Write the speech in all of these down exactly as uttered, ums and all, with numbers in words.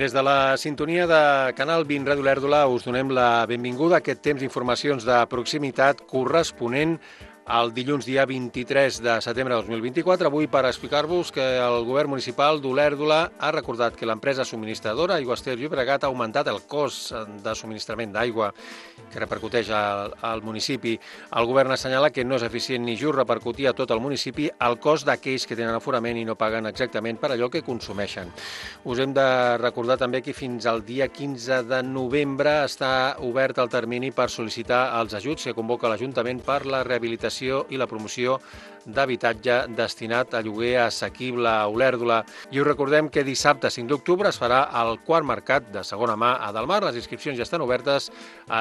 Des de la sintonia de Canal vint Ràdio Olèrdola us donem la benvinguda a aquest temps d'informacions de proximitat corresponent el dilluns dia vint-i-tres de setembre de dos mil vint-i-quatre, avui per explicar-vos que el govern municipal d'Olèrdola ha recordat que l'empresa subministradora Aigües Ter Llobregat ha augmentat el cost de subministrament d'aigua que repercuteix al, al municipi. El govern assenyala que no és eficient ni just repercutir a tot el municipi el cost d'aquells que tenen aforament i no paguen exactament per allò que consumeixen. Us hem de recordar també que fins al dia quinze de novembre està obert el termini per sol·licitar els ajuts que convoca l'Ajuntament per la rehabilitació i la promoció d'habitatge destinat a lloguer assequible a Olèrdola. I us recordem que dissabte cinc d'octubre es farà el quart mercat de segona mà a Delmar. Les inscripcions ja estan obertes,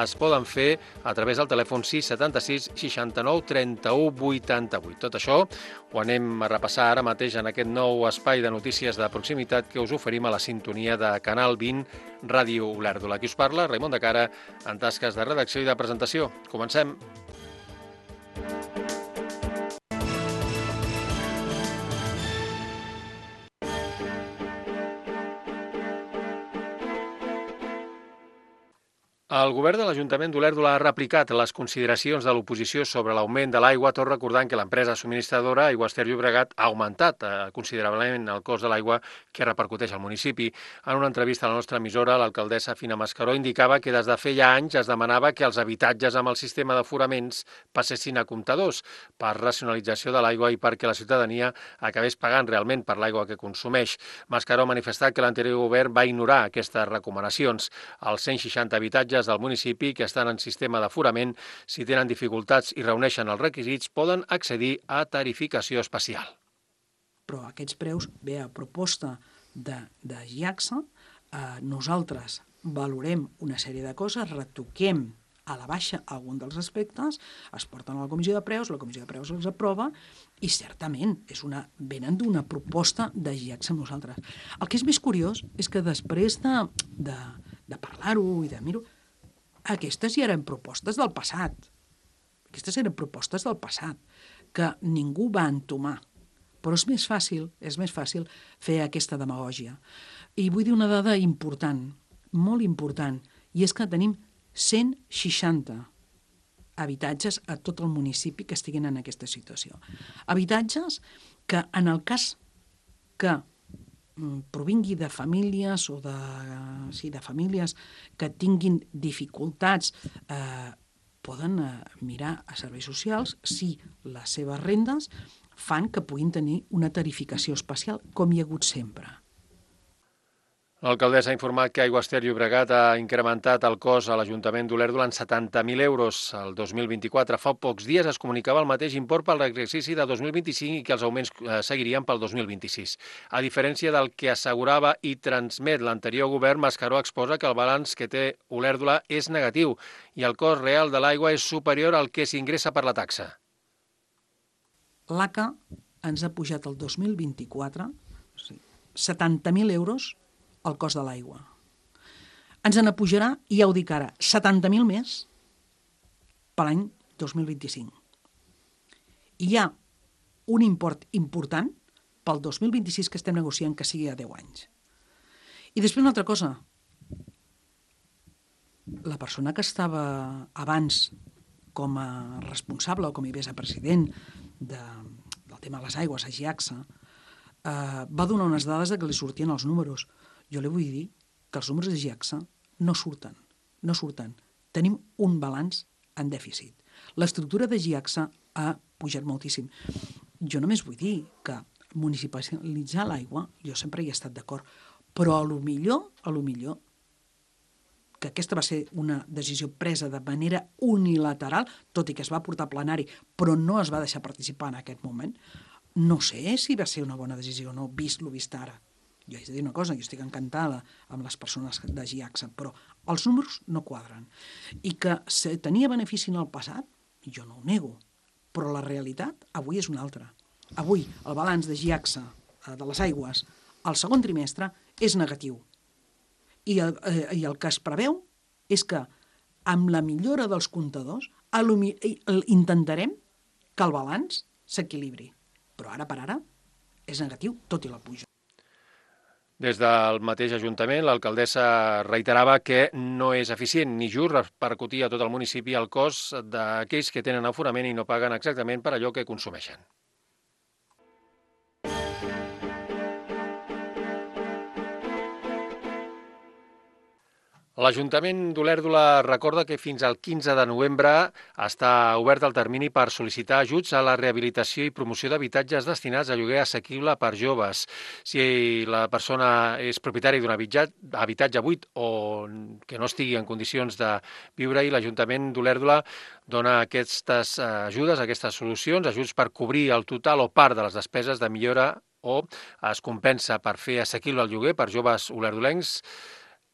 es poden fer a través del telèfon sis setanta-sis seixanta-nou trenta-u vuitanta-vuit. Tot això ho anem a repassar ara mateix en aquest nou espai de notícies de proximitat que us oferim a la sintonia de Canal vint Ràdio Olèrdola. Aquí us parla Raimon de Cara en tasques de redacció i de presentació. Comencem. El govern de l'Ajuntament d'Olèrdola ha replicat les consideracions de l'oposició sobre l'augment de l'aigua, tot recordant que l'empresa subministradora Aigües Ter Llobregat ha augmentat eh, considerablement el cost de l'aigua que repercuteix al municipi. En una entrevista a la nostra emissora, l'alcaldessa Fina Mascaró indicava que des de feia anys es demanava que els habitatges amb el sistema d'aforaments passessin a comptadors per racionalització de l'aigua i perquè la ciutadania acabés pagant realment per l'aigua que consumeix. Mascaró ha manifestat que l'anterior govern va ignorar aquestes recomanacions. Els cent seixanta habitatges del municipi que estan en sistema d'aforament, si tenen dificultats i reuneixen els requisits, poden accedir a tarificació especial. Però aquests preus, bé, a proposta de, de GIACSA, eh, nosaltres valorem una sèrie de coses, retoquem a la baixa algun dels aspectes, es porten a la comissió de preus, la comissió de preus els aprova i certament és una, venen d'una proposta de GIACSA amb nosaltres. El que és més curiós és que després de, de, de parlar-ho i de mir-ho, aquestes ja eren propostes del passat. Aquestes eren propostes del passat, que ningú va entomar. Però és més fàcil, és més fàcil fer aquesta demagògia. I vull dir una dada important, molt important, i és que tenim cent seixanta habitatges a tot el municipi que estiguin en aquesta situació. Habitatges que, en el cas que provingui de famílies o de, sí, de famílies que tinguin dificultats, eh, poden eh, mirar a serveis socials si les seves rendes fan que puguin tenir una tarificació especial, com hi ha hagut sempre. L'alcaldessa ha informat que Aigües Ter Llobregat ha incrementat el cost a l'Ajuntament d'Olèrdola en setanta mil euros el dos mil vint-i-quatre. Fa pocs dies es comunicava el mateix import pel exercici de dos mil vint-i-cinc i que els augments seguirien pel dos mil vint-i-sis. A diferència del que assegurava i transmet l'anterior govern, Mascaró exposa que el balanç que té Olèrdola és negatiu i el cost real de l'aigua és superior al que s'ingressa per la taxa. L'A C A ens ha pujat el dos mil vint-i-quatre setanta mil euros el cost de l'aigua. Ens en pujarà, i ja ho dic ara, setanta mil més per l'any dos mil vint-i-cinc. I hi ha un import important pel dos mil vint-i-sis que estem negociant que sigui a deu anys. I després una altra cosa. La persona que estava abans com a responsable o com a vicepresident de, del tema de les aigües a GIACSA eh, va donar unes dades de que li sortien els números. Jo li vull dir que els números de GIACSA no surten, no surten. Tenim un balanç en dèficit. L'estructura de GIACSA ha pujat moltíssim. Jo només vull dir que municipalitzar l'aigua, jo sempre hi he estat d'acord, però a lo millor, a lo millor, que aquesta va ser una decisió presa de manera unilateral, tot i que es va portar a plenari, però no es va deixar participar en aquest moment, no sé si va ser una bona decisió o no, vist lo vist ara. Jo haig de dir una cosa, jo estic encantada amb les persones de GIACSA, però els números no quadren. I que se tenia benefici en el passat, jo no ho nego, però la realitat avui és una altra. Avui el balanç de GIACSA, de les aigües, al segon trimestre és negatiu. I el, eh, i el que es preveu és que amb la millora dels comptadors intentarem que el balanç s'equilibri. Però ara per ara és negatiu, tot i la puja. Des del mateix Ajuntament, l'alcaldessa reiterava que no és eficient ni just repercutir a tot el municipi el cost d'aquells que tenen aforament i no paguen exactament per allò que consumeixen. L'Ajuntament d'Olèrdola recorda que fins al quinze de novembre està obert el termini per sol·licitar ajuts a la rehabilitació i promoció d'habitatges destinats a lloguer assequible per joves. Si la persona és propietària d'un habitatge buit o que no estigui en condicions de viure-hi, l'Ajuntament d'Olèrdola dona aquestes ajudes, aquestes solucions, ajuts per cobrir el total o part de les despeses de millora o es compensa per fer assequible el lloguer per joves olerdolencs.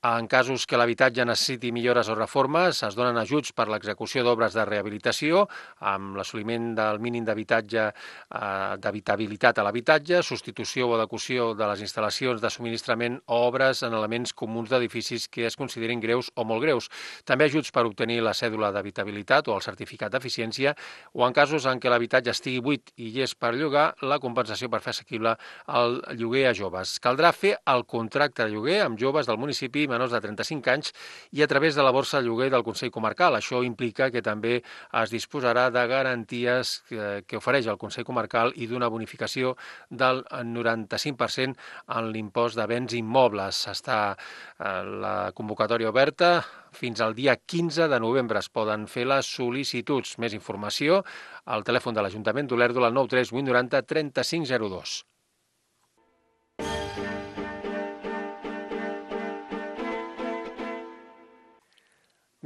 En casos que l'habitatge necessiti millores o reformes, es donen ajuts per l'execució d'obres de rehabilitació amb l'assoliment del mínim d'habitatge eh, d'habitabilitat a l'habitatge, substitució o adequació de les instal·lacions de subministrament o obres en elements comuns d'edificis que es considerin greus o molt greus. També ajuts per obtenir la cèdula d'habitabilitat o el certificat d'eficiència o en casos en què l'habitatge estigui buit i és per llogar, la compensació per fer assequible el lloguer a joves. Caldrà fer el contracte de lloguer amb joves del municipi menors de trenta-cinc anys i a través de la borsa de lloguer del Consell Comarcal. Això implica que també es disposarà de garanties que, que ofereix el Consell Comarcal i d'una bonificació del noranta-cinc per cent en l'impost de béns immobles. Està eh, la convocatòria oberta fins al dia quinze de novembre. Es poden fer les sol·licituds. Més informació al telèfon de l'Ajuntament d'Olèrdola al nou tres vuit noranta trenta-cinc zero dos.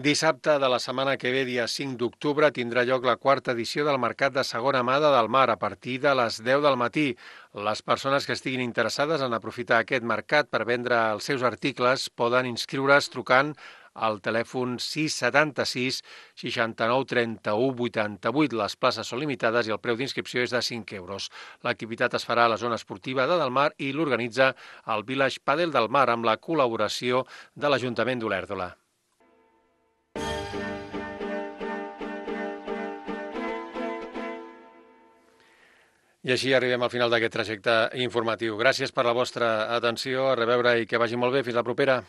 Dissabte de la setmana que ve, dia cinc d'octubre, tindrà lloc la quarta edició del Mercat de Segona Mà de Delmar a partir de les deu del matí. Les persones que estiguin interessades en aprofitar aquest mercat per vendre els seus articles poden inscriure's trucant al telèfon sis setanta-sis seixanta-nou trenta-u vuitanta-vuit. Les places són limitades i el preu d'inscripció és de cinc euros. L'activitat es farà a la zona esportiva de Delmar i l'organitza el Village Padel Delmar amb la col·laboració de l'Ajuntament d'Olèrdola. I així arribem al final d'aquest trajecte informatiu. Gràcies per la vostra atenció, a reveure i que vagi molt bé. Fins la propera.